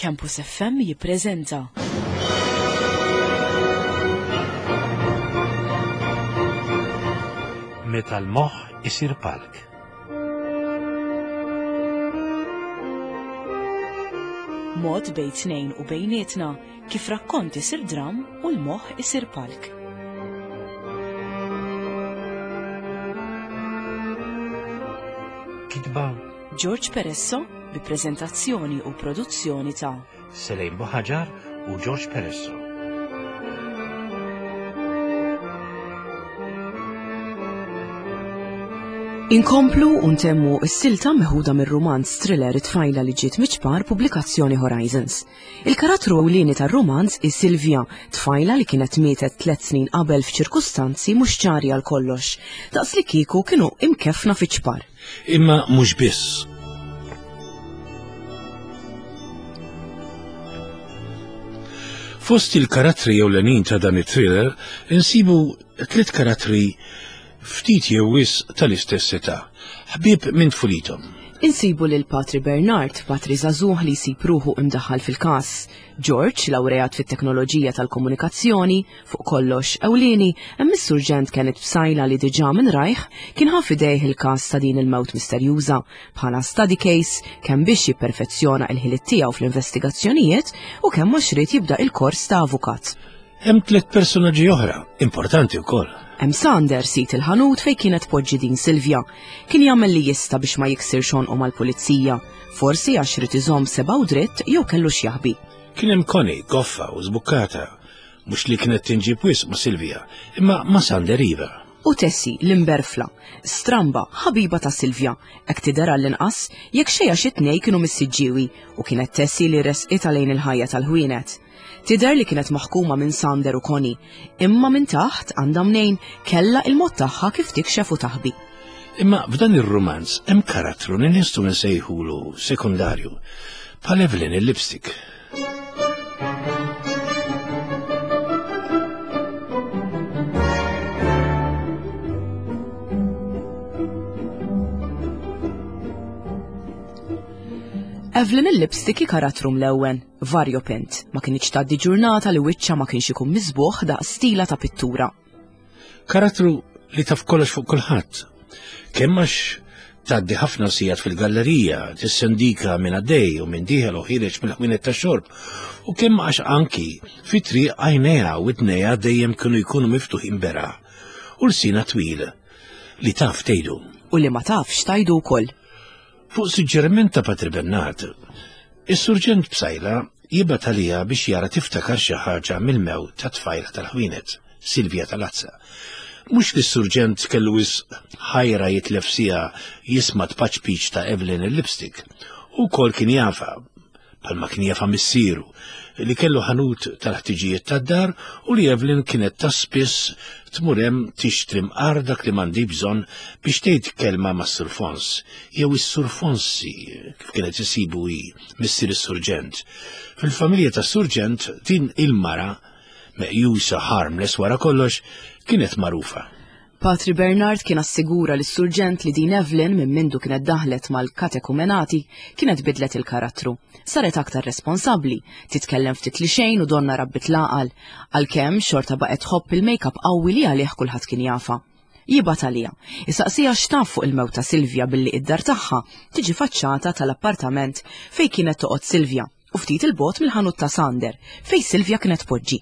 Campus FM jippreżenta. Meta l-moħħ isir palk. Mod bejn tnejn u bejnietna kif rakkont isir dram u l-moħħ isir palk. Kitba George Peresso bi preżentazzjoni u produzzjoni ta' Selejn Buħaġar u George Peresso. Inkomplu u ntemmu s-silta meħuda mir-rumanz thriller It-tfajla li ġiet miċ-ċpar pubblikazzjoni Horizons. Il-karattru ewlieni tar-rumanz hi Silvia, tfajla li kienet mietet tlet snin qabel f'ċirkustanzi mhux ċari għal kollox, daqs li kieku kienu imkeffna fiċ-ċpar. Imma mhux biss. Fost il-karattri ewlenin ta' dan it-thriller insibu tliet karattri ftit jew wisq tal-istess età, ħbieb minn tfulithom. Insibu lil Patri Bernard, patri żagħżugħ li jsib ruħu imdaħħal fil-każ, George, lawreat fit-teknoloġija tal-komunikazzjoni, Fuq kollox, ewlieni, hemm is-Surġent Kenneth Psaila li diġà minn rajh kien ħa f'idejh il-każ ta' din il-mewt misterjuża bħala study case kemm biex jipperfezzjona il-ħiliet tiegħu fl-investigazzjonijiet u kemm għax ried jibda il-kors ta' avukat. Hemm tliet personaġġi oħra, importanti wkoll. Hemm Sander sid il-ħanut fejn kienet tpoġġi din Silvia. Kien jagħmel li jista' biex ma jiksirx għonqu mal-pulizija, forsi għax ried iżomm sebgħu dritt jew kellu x'jaħbi. Kien hemm Connie, goffa u żbukkata, Mhux li kienet tinġib wisq ma' Silvia, imma ma' Sander iva. U Tessie, l-imberfla, stramba, ħabiba ta' Silvia, hekk tidher għall-inqas, jekk xejn għax it-tnejn kienu mis-Siġġiewi u kienet Tessie li ressqitha lejn il-ħajja tal-ħwienet. Tidher li kienet maħkuma minn Sander u Connie, imma minn taħt, għandha mnejn, kellha il-mod tagħha kif tikxef u taħbi. Imma f'dan ir-rumanz hemm karattru li nistgħu nsejħulu sekondarju, bħal Evelyn il-lipstick. Evelyn il-lipstick hi karattru mlewwen, variopint, ma kinitx tgħaddi ġurnata li wiċċha ma kienx ikun miżbugħ daqs stila ta' pittura. Karattru li taf kollox fuq kulħadd. Kemm għax tgħaddi ħafna sigħat fil-gallerija, tissendika minn għaddej u minn dieħel u ħiereġ mill-ħwienet ta' xorb, u kemm għax anki fi triq għajnejha u widnejha dejjem kienu jkunu miftuħin beraħ u lsina twil li taf tgħidu. U li ma tafx tgħidu wkoll. Fuq suġġeriment ta' Patri Bernard, is-Surġent Psaila jibgħat għaliha biex jara tiftakar xi ħaġa mill-mewt tat-tfajla tal-ħwienet, Silvia Talazza. Mhux li s-Surġent kellu wisq ħajra jitlef siegħa jisma' tpaċpiċ ta' Evelyn il-lipstick. Hu wkoll kien jafha, bħalma kien jafha missieru, li kellu ħanut tal-ħtiġijiet tad-dar u li Evelyn kienet ta' spiss tmur hemm tixtri mqar dak li m'għandi bżonn biex tgħid kelma mas-Sur Fons, jew is-Sur Fonsi, kif kienet isibu hi, missier is-Surġent. Fil-familja tas-Surġent din il-mara, meqjusa harmless wara kollox, kienet magħrufa. Patri Bernard kien assigura lis-Surġent li din Evelyn minn mindu kienet daħlet mal-katekumenati kienet bidlet il-karattru. Saret aktar responsabbli, titkellem ftit li xejn u donna rabbit l-għaqal, għalkemm xorta baqgħet tħobb il-makeup qawwi li għalih kulħadd kien jafha. Jibgħat għaliha, isaqsiha x'taf fuq il-mewt ta' Silvia billi id-dar tagħha tiġi faċċata tal-appartament fejn kienet toqgħod Silvia. u ftit 'il bogħod mill-ħanut ta' Sander, fejn Silvia kienet tpoġġi.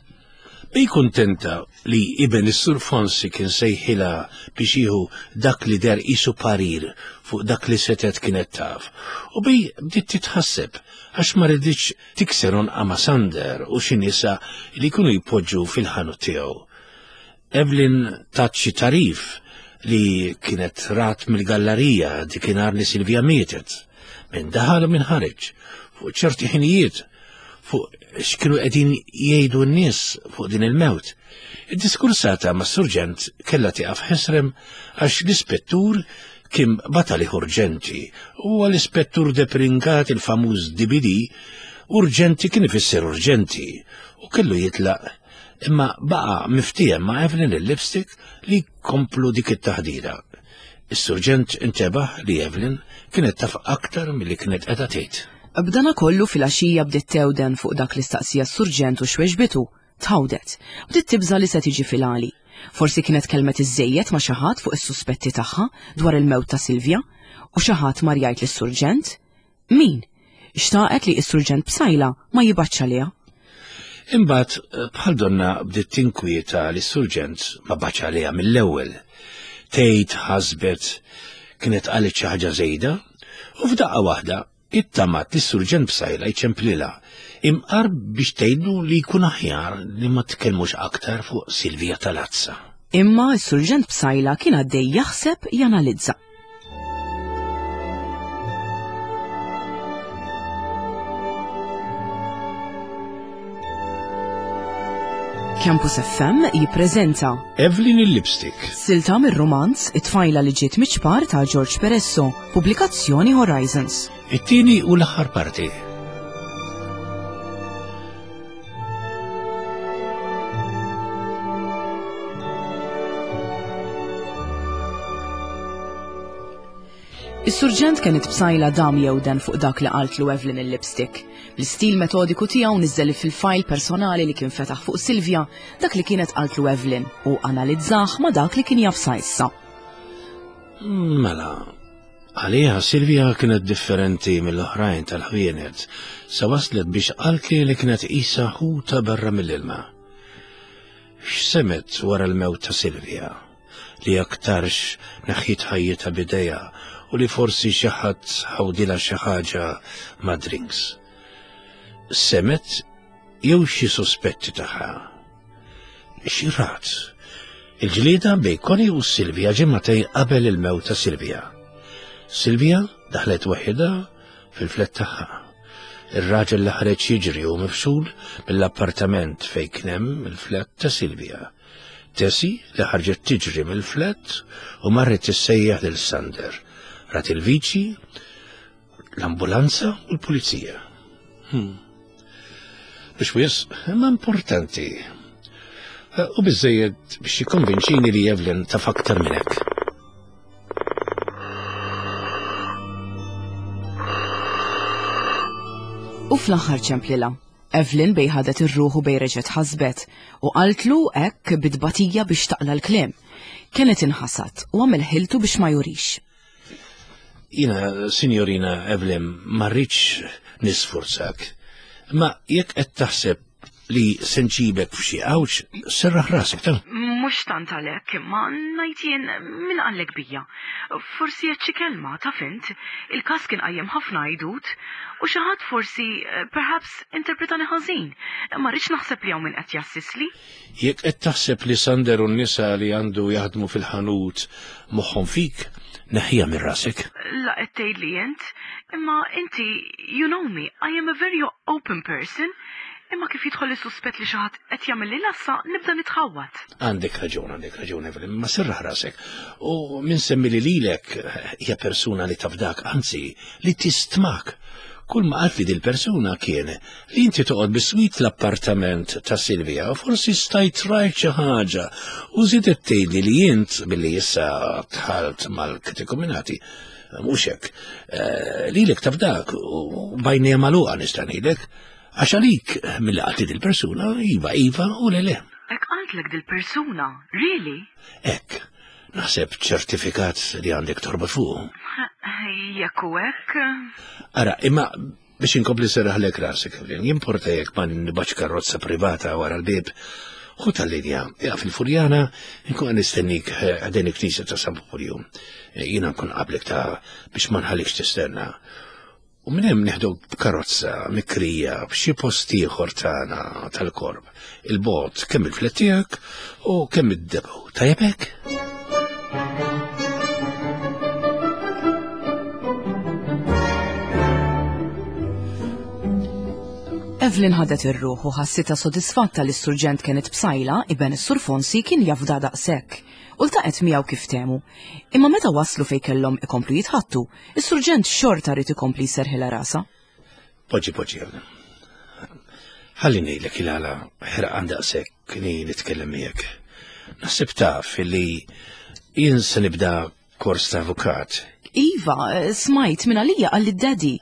Hi kuntenta li iben is-Sur Fonsi kien sejħilha biex jieħu dak li deher qisu parir fuq dak li setgħet kienet taf, u bi bdiet titħasseb għax ma riditx tikser għonqha ma' Sander u xi nisa li jkunu jpoġġu fil-ħanut tiegħu. Evelyn tat xi tagħrif li kienet rat mill-gallarija dikinhar li Silvia mietet, min daħal u min ħareġ, fuq ċerti ħinijiet, fuq x'kienu qegħdin jgħidu n-nies fuq din il-mewt. Id-diskursata mas-surġent kellha tieqaf ħesrem għax l-ispettur kien batali urġenti u għall-ispettur Depringat il-famuż DBD urġenti kien ifisser urġenti u kellu jitlaq Imma baqa' miftiehem ma' Evelyn il-lipstick li jkomplu dik it-taħdira. Is-surġent intebaħ li Evelyn kienet taf aktar milli kienet qiegħda tgħid. B'dana kollu filgħaxija bdiet tewden fuq dak li staqsija s-surġent u x'weġbitu. Tħawdet. Bdiet tibża' li se tiġi fil-għali. Forsi kienet kellmet iżżejjed ma' xi ħadd fuq is-suspetti tagħha dwar il-mewt ta' Silvia u xi ħadd mar jgħid lis-surġent. Min? Xtaqet li s-surġent Psaila ma jibgħatx għaliha. Imbagħad bħal donna bdiet tinkwieta li s-surġent ma bagħatx għaliha mill-ewwel. Tgħid ħasbet kienet qalet xi ħaġa żejda u f'daqqa waħda ittamat li s-surġent Psaila jċemplilha imqar biex tgħidlu li jkun aħjar li ma tkellmux aktar fuq Silvia Talazza. Imma s-surġent Psaila kien għaddej jaħseb janalizza. Campus FM jippreżenta Evelyn il-Lipstick. Silta mir-rumanz It-tfajla li ġiet miċ-ċpar ta' George Peresso, pubblikazzjoni Horizons. It-tieni u l-aħħar parti. Is-surġent kienet bsajla dam jewden fuq dak li qaltlu Evelyn il-lipstick. Bl-istil metodiku tiegħu niżżel fil-fajl personali li kien fetaħ fuq Silvia dak li kienet qaltlu Evelyn u analizzah ma' dak li kien jaf sa issa. Mela, għaliha Silvia kienet differenti mill-oħrajn tal-ħwienet, sa waslet biex qaltli li kienet qisha ħuta barra mill-ilma. X'semet wara l-mewt ta' Silvia? Li aktarx neħħiet ħajjitha b'idejha u li forsi xi ħadd ħawdilha xi ħaġa ma' drinks. Semet jew xi sospetti tagħha. Xi rat? Il-ġlieda bejn Connie u Silvia ġimgħatejn qabel il-mewt ta' Silvia. Silvia daħlet waħidha fil-flet tagħha. Ir-raġel li ħareġ jiġri u mifxul mill-appartament fejn kien hemm il-flet ta' Silvia. Tessie li ħarġet tiġri mill-flat u marret tissejjaħ lil Sander. Rat il-viċi, l-ambulanza u l-pulizija. Hmm. Biex wis, imma importanti. U biżejjed biex jikkonvinċini li Evelyn taf aktar minn hekk. U fl-aħħar ċemplilha. Evelyn bej ħadet ir-ruħ u bej reġgħet ħasbet u qaltlu hekk bi tbatija biex taqla' l-kliem. Kenneth inħasad u għamel ħiltu biex ma jurix. Jiena, Sinjorina Evelyn, ma rridx nisfurzak. Ma jekk qed taħseb li se nġibek f'xi għawġ, serraħ rasek ta'. Mhux tant għalhekk, imma ngħid jien min qallek bija. Forsi għedt xi kelma, taf int, il-każ kien qajjem ħafna għidut, u xi ħadd forsi, perhaps, interpretani ħażin. Ma rridx naħseb li hawn min qed jgħassisli. Jekk qed taħseb li Sander u n-nisa li għandu jaħdmu fil-ħanut moħħhom fik, neħħiha minn rasek. La qed tgħidli int, imma inti, you know me, I am a very open person, imma kif jidħol is-suspett li xi ħadd qed jagħmilli l-għassa nibda nitħawwad. Għandek raġun, għandek raġun, Evelyn, ma serraħ rasek. U min semmi li lilek hija persuna li tafdak, anzi, li tistmak. Kull ma qaltli dil-persuna kien li inti toqgħod biswit l-appartament ta' Silvia u forsi stajt rajt xi ħaġa u żiedet tgħidli li int billi issa dħalt mal-katekumenati mhux hekk eh, lilek tafdak u bajnejha magħluqa nista' ngħidlek għax għalik milli qaltli dil-persuna iva iva u le le. Hekk qaltlek dil-persuna, really? Hekk. Naħseb ċertifikat li għandek torbot fuqu. Jekk hu hekk. Ara, imma biex inkompli serraħlek rasek, Evelyn, jimporta jekk ma nibax karozza privata wara l-bib. Ħu tal-linja, jaf il-Furjana, nkun nistennik eh, għadin il-knisja ta' San Pulju. Eh, jiena nkun qablek ta' biex ma nħallikx tistenna. U minn hemm neħduk b'karozza mikrija f'xi post ieħor tagħna tal-korp, il-bogħod kemm il-flet tiegħek u kemm id-depot. Tajjeb hekk? Evelyn ħadet ir-ruħ u ħassitha sodisfatta li s-surġent Kenneth Psaila, iben is-Sur Fonsi, kien jafda daqshekk. U ltaqgħet miegħu kif temu. Imma meta waslu fejn kellhom ikomplu jitħattu, Is-surġent xorta ried ikompli jserħilha rasha. Poġġi, poġġi, Ħalli ngħidlek il-għala ħerqan daqshekk li nitkellem miegħek. Naħseb taf li jien se nibda kors ta' avukat. Iva, smajt minn għalija għalli daddy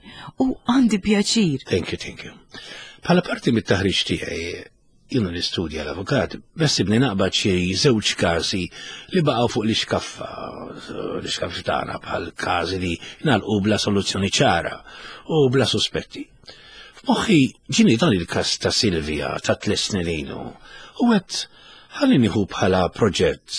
u għandi pjaċir. Thank you, thank you. Bħala parti mit-taħriġ tiegħi, jiena nistudja l-avukat, bessibni naqbad xi żewġ każi li baqgħu fuq l-iskaffa, l-iskaffa tagħna bħal każi li nagħlqu bla soluzzjoni ċara u bla suspetti. F'moħħi ġini dan il-każ ta' Silvia ta' tliet snin ilu u għedt ħalli nieħu bħala proġett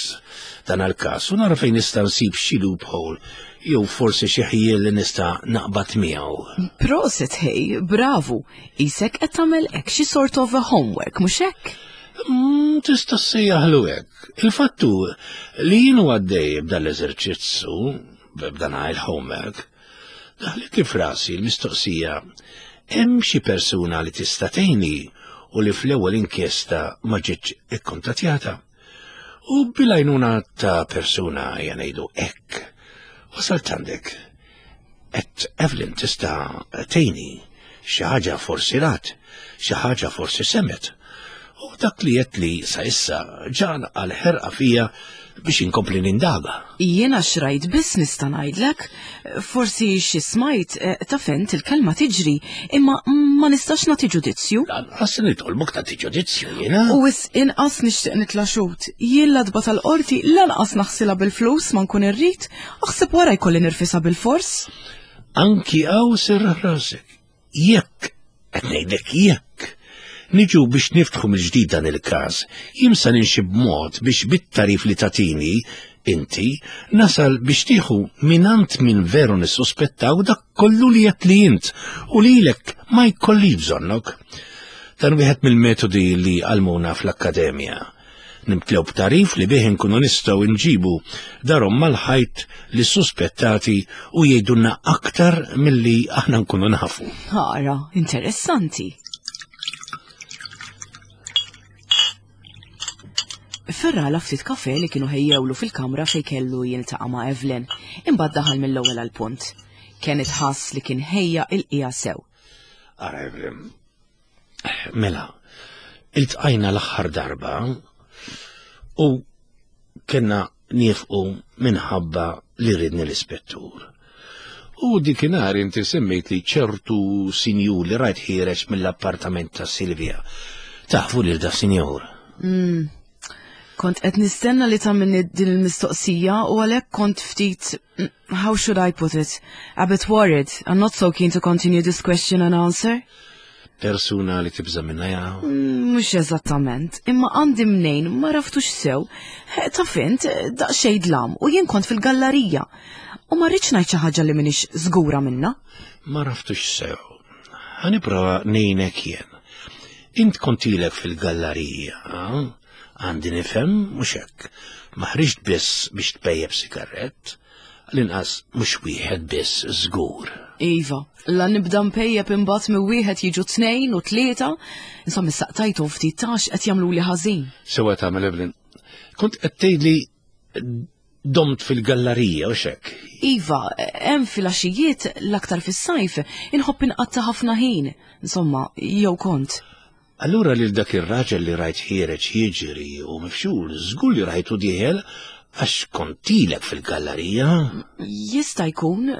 dan għal-każ u nara fejn nista' nsib xi loophole jew forsi xi ħjiel li nista' naqbad miegħu. Proset ħej, bravu, isek qed tagħmel hekk xi sort of a homework, mhux hekk? Mm, tista' ssejjaħlu hekk. Il-fattu li jienu għaddej b'dan l-eżerċizzju, b'dan il-homework, Daħlet li frasi l-mistoqsija hemm xi persuna li tista' tgħinni u li fl-ewwel inkjesta ma ġietx ikkuntattjata. U bil-għajnuna ta' persuna ngħidu hekk, wasalt għandek. Et Evelyn tista' tgħinni xi ħaġa forsi rat, xi ħaġa forsi semet. U dak li qed li sa issa ġan għal ħerqa fija biex inkompli nindaga. Jiena xrajt biss nista' ngħidlek, forsi xi smajt eh, ta' fent il-kelma tiġri, imma ma nistax nagħti ġudizzju. Lanqas nitolbok tagħti ġudizzju jiena. U wis inqas nixtieq nitla' xut. Jien l-adba tal-qorti lanqas naħsilha bil-flus ma nkun irrid, aħseb wara jkolli nirfisha bil-fors. Anki hawn serraħ rasek. Jekk, qed ngħidlek jekk, niġu biex niftħu mill-ġdid dan il-każ, jien sa ninxi b'mod biex bit-tarif li tatini inti nasal biex tieħu minant min veru nissuspettaw dak kollu li qed li int u lilek ma jkollix bżonnok. Dan wieħed mill-metodi li għalmuna fl-akkademja. Nimtlew b'tagħrif li bih inkunu nistgħu nġibu darhom mal-ħajt li suspettati u jgħidulna aktar milli aħna nkunu nafu. Ara, interessanti. Ferrala ftit kafe li kienu ħejjewlu fil-kamra fej kellu jiltaqa' ma' Evelyn, imbagħad daħal mill-ewwel għall-punt. Kenneth ħass li kien ħejja il-qija sew. Ara Evelyn, Mela, iltqajna l-aħħar darba u kena nifqu minħabba li ridni l-ispettur. U dikinhar inti semmejt li ċertu sinjur li rajt ħiereġ mill-appartament ta' Silvia. Tafu lil da sinjur? Mm. Kont qed nistenna li tagħmilni din il-mistoqsija u għalhekk kont ftit mm, how should I put it? A bit worried. I'm not so keen to continue this question and answer. Persuna li tibża minna ja? Mm, mhux eżattament, imma għandi mnejn ma raftux sew. Eh, taf int, daqsxejn dlam u jien kont fil-gallerija. U ma rridx ngħid xi ħaġa li m'iniex żgura minna. Ma raftux sew. Ħa nipprova ngħinek jien. Int kont ilek fil-gallerija, għandi nifhem mhux hekk. Ma ħriġt biss biex tpejjep sigarett, l-inqas mhux wieħed biss żgur. Iva, la nibda npejjep imbagħad minn wieħed jiġu tnejn u tlieta, insomma issaqtajtu ftit tax qed jagħmluli ħażin. Sewa tagħmel Evelyn. Kont qed tgħidli domt fil-gallarija u xek. Iva, hemm filgħaxijiet l-aktar fis-sajf inħobb inqatta' ħafna ħin, insomma, jew kont. Allura lil dak ir-raġel li rajt ħiereġ jiġri u mifxul, żgur li rajtu dieħel għax kontilek fil-gallarija. Jista' jkun,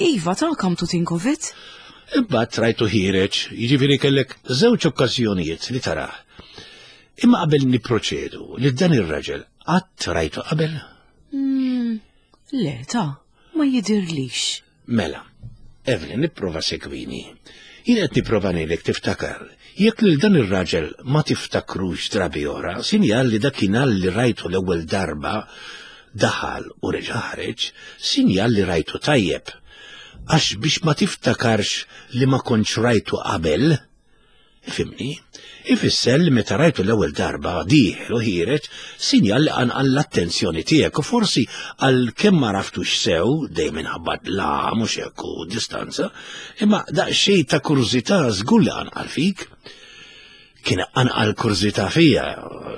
iva ta' come to think of it. Imbagħad rajtu ħiereġ, jiġifieri kellek żewġ okkażjonijiet li tarah. Imma qabel niproċedu, li dan ir-raġel qatt rajtu qabel? Mm, le, ta' ma jidirlix. Mela, Evelyn, nipprova segwini. Jien qed nipprova ngħidlek tiftakar. Jekk lil dan ir-raġel ma tiftakrux drabi oħra, sinjal li dakinhar li rajtu l-ewwel darba daħal u reġa' ħareġ, sinjal li rajtu tajjeb. Għax biex ma tiftakarx li ma kontx rajtu qabel, Ifhimni? Ifisser li meta rajtu l-ewwel darba dieħel u ħiereġ, sinjal li qanqal l-attenzjoni tiegħek u forsi għal kemm ma raftux sew, dejjem minħabba la mhux hekk u distanza, imma daqsxejn ta' kurżità żgur li qanqal fik. Kien qanqal kurżità fija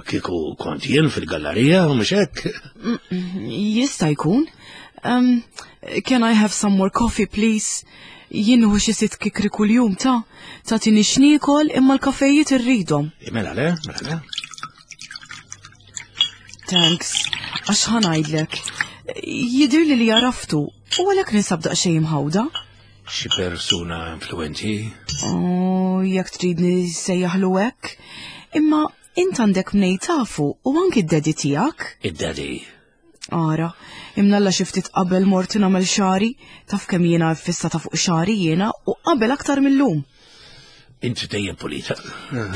kieku kont jien fil-gallerija mhux hekk. Jista' jkun. Um, can I have some more coffee, please? Jien nieħu xi sitt kikri kuljum ta' tagħtini x'niekol imma l-kafejiet irridhom. Mela le, mela le. Thanks, għax ħa ngħidlek. Jidhirli li għaraftu u għalhekk ninsab daqsxejn imħawda. Xi persuna influenti? Oh, jekk tridni sejjaħlu hekk. Imma int għandek mnej tafu u anki d-daddy tiegħek. Id-daddy? Ara, imnalla xi ftit qabel mort nagħmel xari, taf kemm jiena fissata fuq xari jiena u qabel aktar mill-lum. Inti dejjem pulita.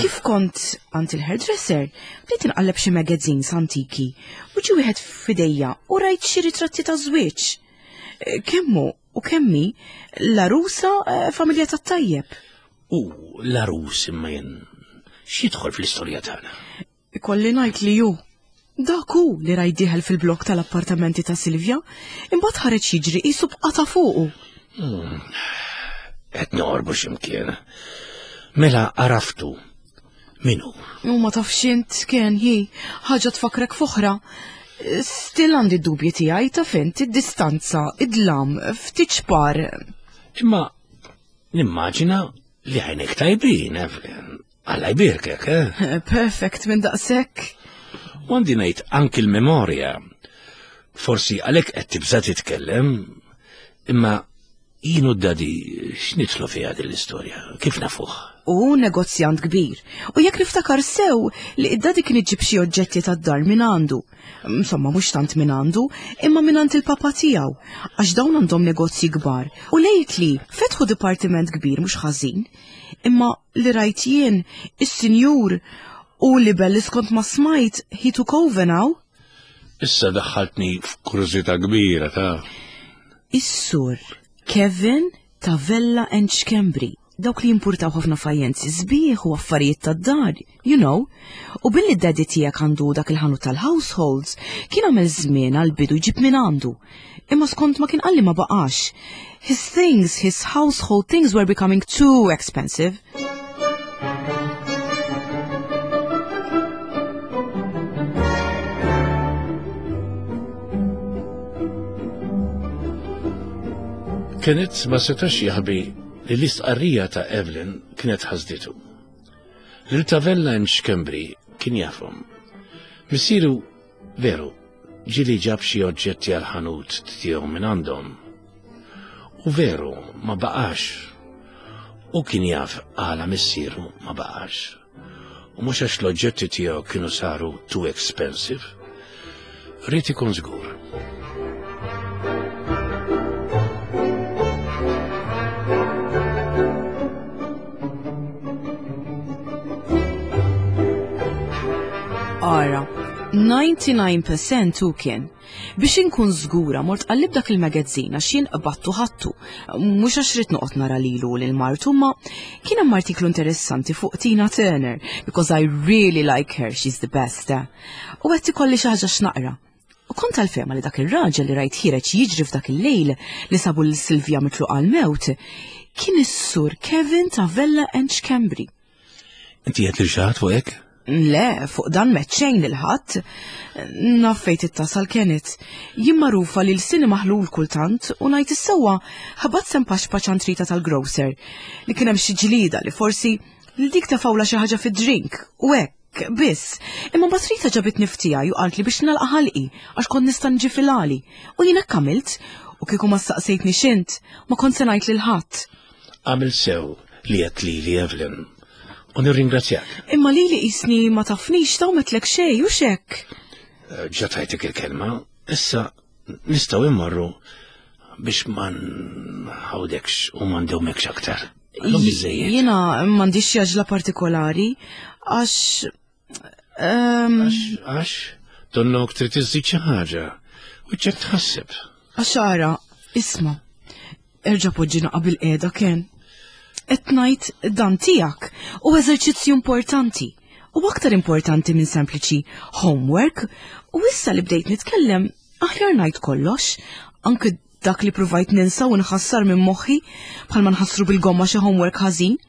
Kif kont għand il-hairdresser, bdejt inqalleb xi magazines antiki u ġi wieħed f'idejja u rajt xi ritratti ta' żwieġ. Eh, kemmu u kemmi l-arusa eh, familja tat-tajjeb. U l-arus imma jien x'jidħol fl-istorja tagħna? Ikolli ngħid li hu. Dak hu li rajt dieħel fil-blokk tal-appartamenti ta' Silvia, imbagħad ħareġ jiġri qisu b'qata' fuqu. Hmm. Qed noqorbu x'imkien. Mela għaraftu. Min hu? U ma tafx int kien hi ħaġa tfakkrek f'oħra. Still għandi d-dubji tiegħi taf int id-distanza, id-dlam, ftit ċpar. Imma nimmaġina li għajnek tajbin, Evelyn. Alla jbierkek, eh? Perfect minn daqshekk. U għandi ngħid anki l-memorja. Forsi għalhekk qed tibża' titkellem, imma jien u d-dadi x'nidħlu fiha din l-istorja? Kif nafuh? U negozjant kbir. U jekk niftakar sew li id-dadi kien iġib xi oġġetti tad-dar minn għandu. Insomma, mhux tant minn għandu, imma minn għand il-papa tiegħu, għax dawn għandhom negozji kbar. U lejtli fetħu dipartiment kbir mhux ħażin. Imma li rajt jien, is-sinjur, u li belli skont ma smajt, he took over now. Issa daħħaltni f'kurżità kbira ta' Is-sur Kevin ta' Vella and Schembri, dawk li jimpurtaw ħafna fajjenzi sbieħ u affarijiet tad-dar, you know. U billi d-daddy tiegħek għandu dak il-ħanut tal-households, kien għamel żmien għall-bidu jġib minn għandu. Imma skont ma kien qalli ma baqax. His things, his household things were becoming too expensive. Kenneth ma setax jaħbi li l-istqarrija ta' Evelyn kienet ħasditu. Lil Tavella and Schembri kien jafhom. Missieru Veru, ġieli ġab xi oġġetti għall-ħanut tiegħu minn għandhom. U veru, ma baqax. U kien jaf għala missieru ma baqax. U mhux għax l-oġġetti tiegħu kienu saru too expensive. Ried ikun żgur. Ara, 99% hu kien. Biex inkun żgura mort qallib dak il-magazzin għax jien qbattu ħattu. Mhux għax rid noqgħod nara lilu lil martu ma kien hemm artiklu interessanti fuq Tina Turner because I really like her, she's the best. Eh? U qed ikolli xi ħaġa x'naqra. U kont tal-fehma li dak ir-raġel li rajt ħiereġ jiġri f'dak il-lejl li sabu lil Silvia mitluqa għall-mewt kien is-sur Kevin ta' Vella and Schembri. Inti qed lil xi ħadd fuq hekk? Le, fuq dan m'għedt xejn lil ħadd. Naf fejn tittasal Kenneth. Jien magħrufa li lsieni maħlul kultant u ngħid is-sewwa ħabat sem paxpax għand Rita tal-grocer li kien hemm xi ġlieda li forsi li dik tefgħulha xi ħaġa fid-drink u hekk. Biss, imma mbagħad Rita ġabitni f'tiegħi u qaltli biex nagħlaq ħalqi għax kont nista' niġi fil-għali. U jien hekk għamilt, u kieku ma staqsejtni x'int, ma kont se ngħid lil ħadd. Għamilt sew li għedt lili Evelyn, u nirringrazzjak. Imma lili qisni ma tafnix ta' u m'għedtlek xejn, hux hekk? Ġa tajtek il-kelma, issa nistgħu immorru biex ma nħawdekx u ma ndewmekx aktar. Illum biżejjed. Jiena m'għandix xi għaġla partikolari għax ehm, Għax, għax, donnok trid iżżid xi ħaġa. U ċek tħasseb. Għax ara, isma' erġa' poġġina qabel qiegħda Ken. Qed ngħid dan tiegħek u eżerċizzju importanti. U aktar importanti minn sempliċi homework u issa li bdejt nitkellem Aħjar ngħid kollox, anke dak li pruvajt ninsa u nħassar minn moħħi bħalma nħassru bil-gomma xi homework ħażin.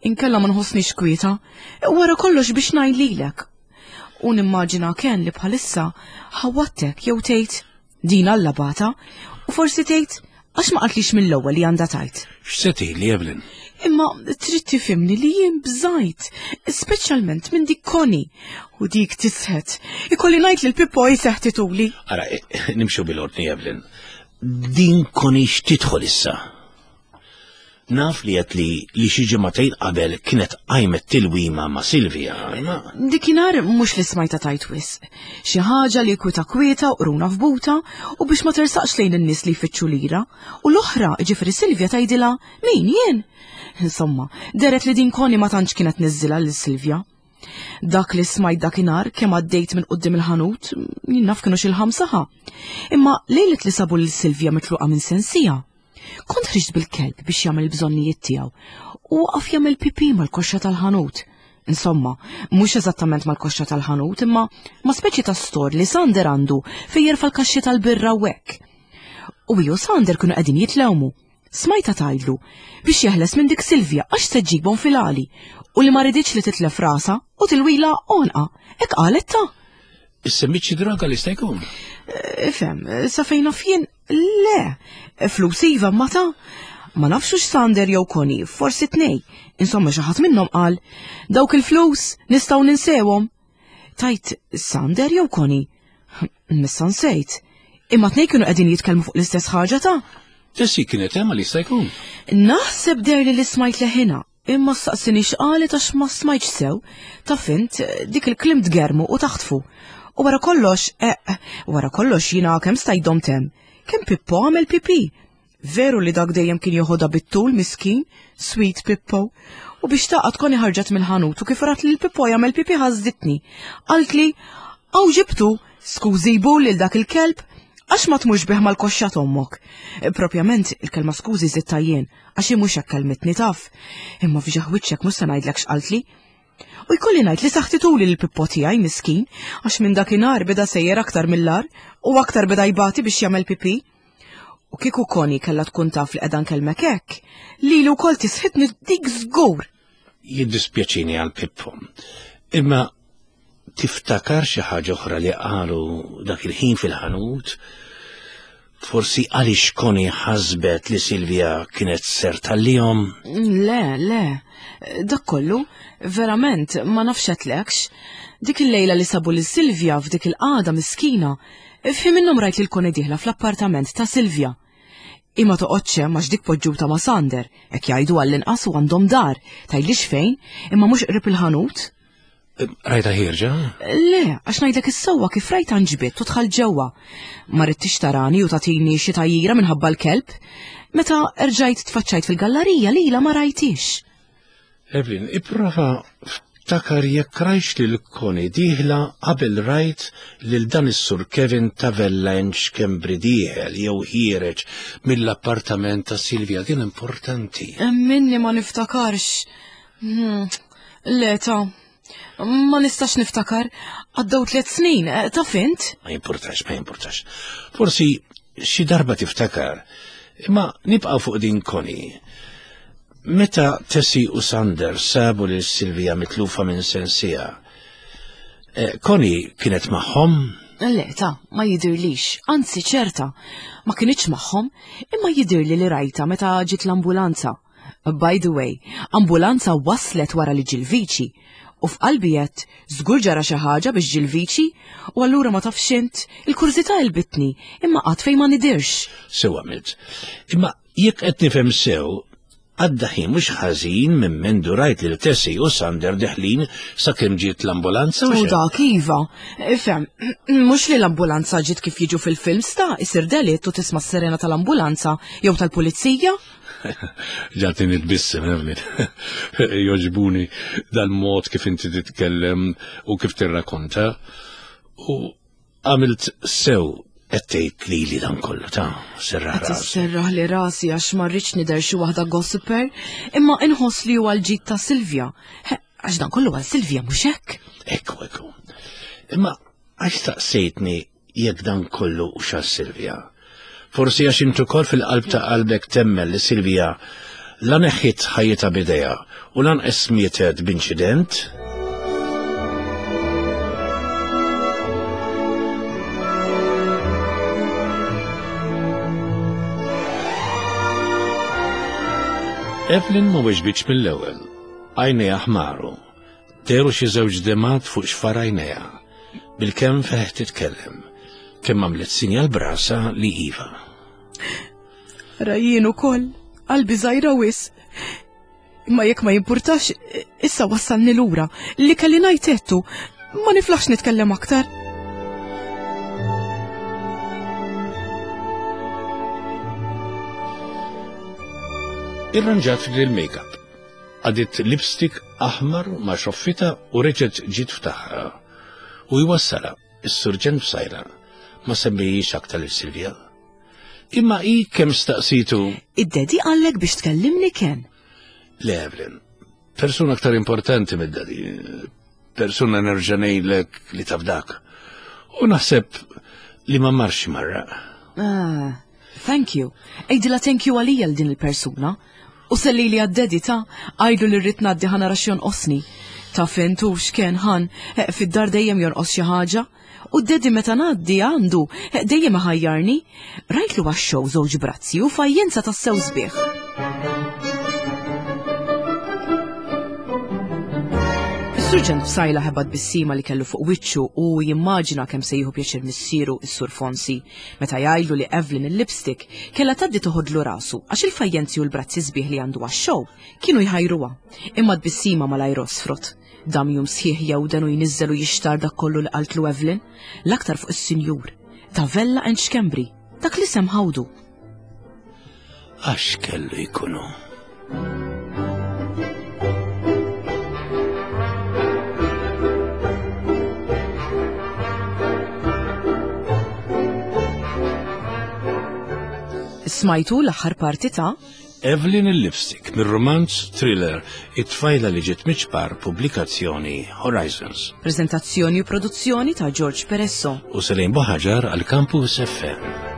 Inkella ma nħossnix kwieta, wara kollox biex ngħid lilek. U nimmaġina Ken li bħalissa ħawwadtek jew tgħid din Alla bata u forsi tgħid Għax ma qaltlix mill-ewwel li għandha tgħid. X'se tgħidli, Evelyn? Imma trid tifhimni li jien bżajt, speċjalment minn dik Connie. U dik tisħet. Ikolli ngħid li l-Pippo jiseħtituli. Ara, nimxu bil-ordni, Evelyn. Din Connie x'tidħol issa? Naf li għedt li li xi ġimagħtejn qabel kienet qajmet tilwima ma' Silvia, imma. Dikinhar mhux li smajtha tgħid wisq. Xi ħaġa li kwieta kwieta u qruna f'buta u biex ma tersaqx lejn in-nies li jfittxu lira. U l-oħra, jiġifieri Silvia tgħidilha, min jien? Insomma, dehret li din Connie ma tantx kienet tniżżilha lil Silvia. Dak li smajt dakinhar kemm għaddejt minn quddiem il-ħanut, jien naf kienu xi l-ħamsa ħa. Imma lejlet li sabu lil Silvia mitluqa minn sensija, Kont ħriġt bil-kelb biex jagħmel il-bżonnijiet tiegħu u waqaf jagħmel pipi mal-koxxa tal-ħanut. Insomma, mhux eżattament mal-koxxa tal-ħanut, imma ma' speċi ta' stor li Sander għandu fejn jerfa' l-kaxxi tal-birra u hekk. U hi u Sander kienu qegħdin jitlewmu. Smajtha tgħidlu biex jeħles minn dik Silvia għax se ġġibhom fil-għali u li ma riditx li titlef rasha u tilwila għonqha. Hekk qalet ta'. Issemmit xi droga li sta jkun? Ifhem, sa fejn naf jien Le, flus iva ma ta' ma nafx hux Sander jew Connie, forsi tnej. Insomma xi ħadd minnhom qal, dawk il-flus nistgħu ninsewhom. Tajt Sander jew Connie? Missa nsejt. Imma tnej kienu qegħdin jitkellmu fuq l-istess ħaġa ta' Tessi kienet hemm li jista' jkun. Naħseb derli li smajt leħinha, imma staqsini x'qalet għax ma smajtx sew. Taf int, dik il-kliem tgermu u taħtfu. U wara kollox, eh, wara kollox jiena kemm stajt domt hemm. Kemm Pippo għamel pipi. Veru li dak dejjem kien joħodha bit-tul miskin, sweet Pippo. U biex taqgħod koni ħarġet mill-ħanut u kif rat lil Pippo jagħmel pipi ħażditni. Qaltli, Hawn ġibtu, skużi jbul lil dak il-kelb, għax ma tmurx bih mal-koxxa t'ommok. Propjament, il-kelma skużi żidtha jien, għax hi mhux hekk kellmitni taf. Imma f'ġieħ wiċċek mhux se ngħidlek x'qaltli. U jkolli ngħid li saħtituli lil Pippo tiegħi miskin, għax minn dakinhar beda sejjer aktar mill-agħar u aktar beda jbati biex jagħmel pipì. U kieku Connie kellha tkun taf li qiegħda nkellmek hekk, lili wkoll tisħitni dik żgur. Jiddispjaċini għal Pippo. Imma Tiftakar xi ħaġa oħra li qalu dak il-ħin fil-ħanut? Forsi għaliex Connie ħasbet li Silvia kienet ser tallihom? Le, le. Dak kollu, verament, ma nafx għedtlekx. Dik il-lejla li sabu lil Silvia f'dik il-qagħda miskina, f'ħin minnhom rajt lil Connie dieħla fl-appartament ta' Silvia. Imma toqgħodx hemm għax dik poġġuta ma' Sander, hekk jgħidu għall-inqas u għandhom dar, tgħidlix fejn, imma mhux qrib il-ħanut. Rajta ħierġa? Le, għax ngħidlek is-sewwa kif rajta nġbidt u dħalt ġewwa. Ma ridtix tarani u tagħtini xi tgħajjira minħabba l-kelb. Meta erġajt tfaċċajt fil-gallarija lilha ma rajtix. Evelyn, ipprova ftakar jekk rajtx lil Connie dieħla qabel rajt lil dan is-Sur Kevin Tavella Schembri dieħel jew ħiereġ mill-appartament ta' Silvia. Din importanti. Minni ma niftakarx. Hmm, le ta' ma nistax niftakar. Għaddew tliet snin, eh, taf int? Ma jimpurtax, ma jimpurtax. Forsi xi darba tiftakar. Imma nibqa' fuq din Connie. Meta Tessie u Sander sabu lil Silvia mitlufa minn sensija, eh, Connie kienet magħhom? Le, ta, ma jidirlix, anzi ċerta, ma kinitx magħhom, imma jidirli li rajta meta ġiet l-ambulanza. By the way, ambulanza waslet wara li ġie l-viċi. U f'qalbi għedt, żgur ġara xi ħaġa biex ġie l-viċi, u allura ma tafx int, il-kurżità għelbitni, imma qatt fejn ma nidhirx. Sew għamilt. Imma jekk qed nifhem sew, għadda ħin mhux ħażin minn mindu rajt lil Tessie u Sander deħlin sakemm ġiet l-ambulanza u dak iva. Ifhem, mhux li l-ambulanza ġiet kif jiġu fil-films ta' isir delitt u tisma' s-sirena tal-ambulanza jew tal-pulizija. Ġati nitbissem, Evelyn. Joġbuni dal-mod kif inti titkellem u kif tirrakonta. U għamilt sew qed tgħid lili dan kollu ta' serraħ rasi. Serraħ li rasi għax ma rridx nidher xi waħda gossiper, imma inħoss li huwa l-ġid ta' Silvia. Għax dan kollu għal Silvia mhux hekk? Ekku, ekku. Imma għax staqsejtni Jekk dan kollu hux għal Silvia. Forsi għax int ukoll fil-qalb ta' qalbek temmen li Silvia la neħħiet ħajjitha b'idejha u lanqas mietet b'inċident? Evelyn ma weġbitx mill-ewwel. Għajnejha ħmaru. Dehru xi żewġ demgħat fuq xfar għajnejha. Bilkemm feħ titkellem. Kemm għamlet sinjal b'rasha li iva. Ara jien ukoll, qalbi żgħira wisq. Imma jekk ma jimpurtax, issa wassalni lura. Li kelli ngħid għedtu, ma niflaħx nitkellem aktar. Irranġat lil-makeup. Għadit lipstick aħmar ma' xoffita u reġgħet ġiet f'tagħha. U jwassala, is-surġent f'sajra, ma semmijiex aktar lil Silvia. Imma hi kemm staqsitu. Id-daddy qallek biex tkellimni Ken. Le Evelyn, persuna aktar importanti mid-daddy. Persuna nerġa' ngħidlek li taf dak. U naħseb li ma marx marra. Ah, thank you. Għidilha thank you għalija l din il-persuna. U sellili għad-daddy ta' għidlu li rrid ngħaddi ħa nara x'jonqosni. Taf int hux Ken ħan, eh, fid-dar dejjem jonqos xi ħaġa. U d-daddy meta ngħaddi għandu, eh, dejjem iħajjarni. Rajtlu għax-show żewġ brazzi u fajjenza tassew sbieħ. Is-Surġent Psaila ħeba tbissima li kellu fuq wiċċu u jimmaġina kemm se jieħu pjaċir missieru is-Sur Fonsi meta jgħidlu li Evelyn il-lipstick kellha tgħaddi toħodlu rasu għax il-fajjenzi u l-brazzi sbieħ li għandu għax-show kienu jħajruha. Imma tbissima malajr għosfrot. Dam jum sħiħ jewden u jniżżel u jixtar dak kollu li qaltlu Evelyn, l-aktar fuq is-sinjur. Ta' Vella and Schembri, dak l-isem ħawdu. Għax kellu jkunu. Smajtu l-aħħar parti ta' Evelyn il-Lipstick mir-rumanz thriller It-tfajla li ġiet miċ-ċpar pubblikazzjoni Horizons. Preżentazzjoni u produzzjoni ta' George Peresso. U Selin Buħaġar għal Campus FM.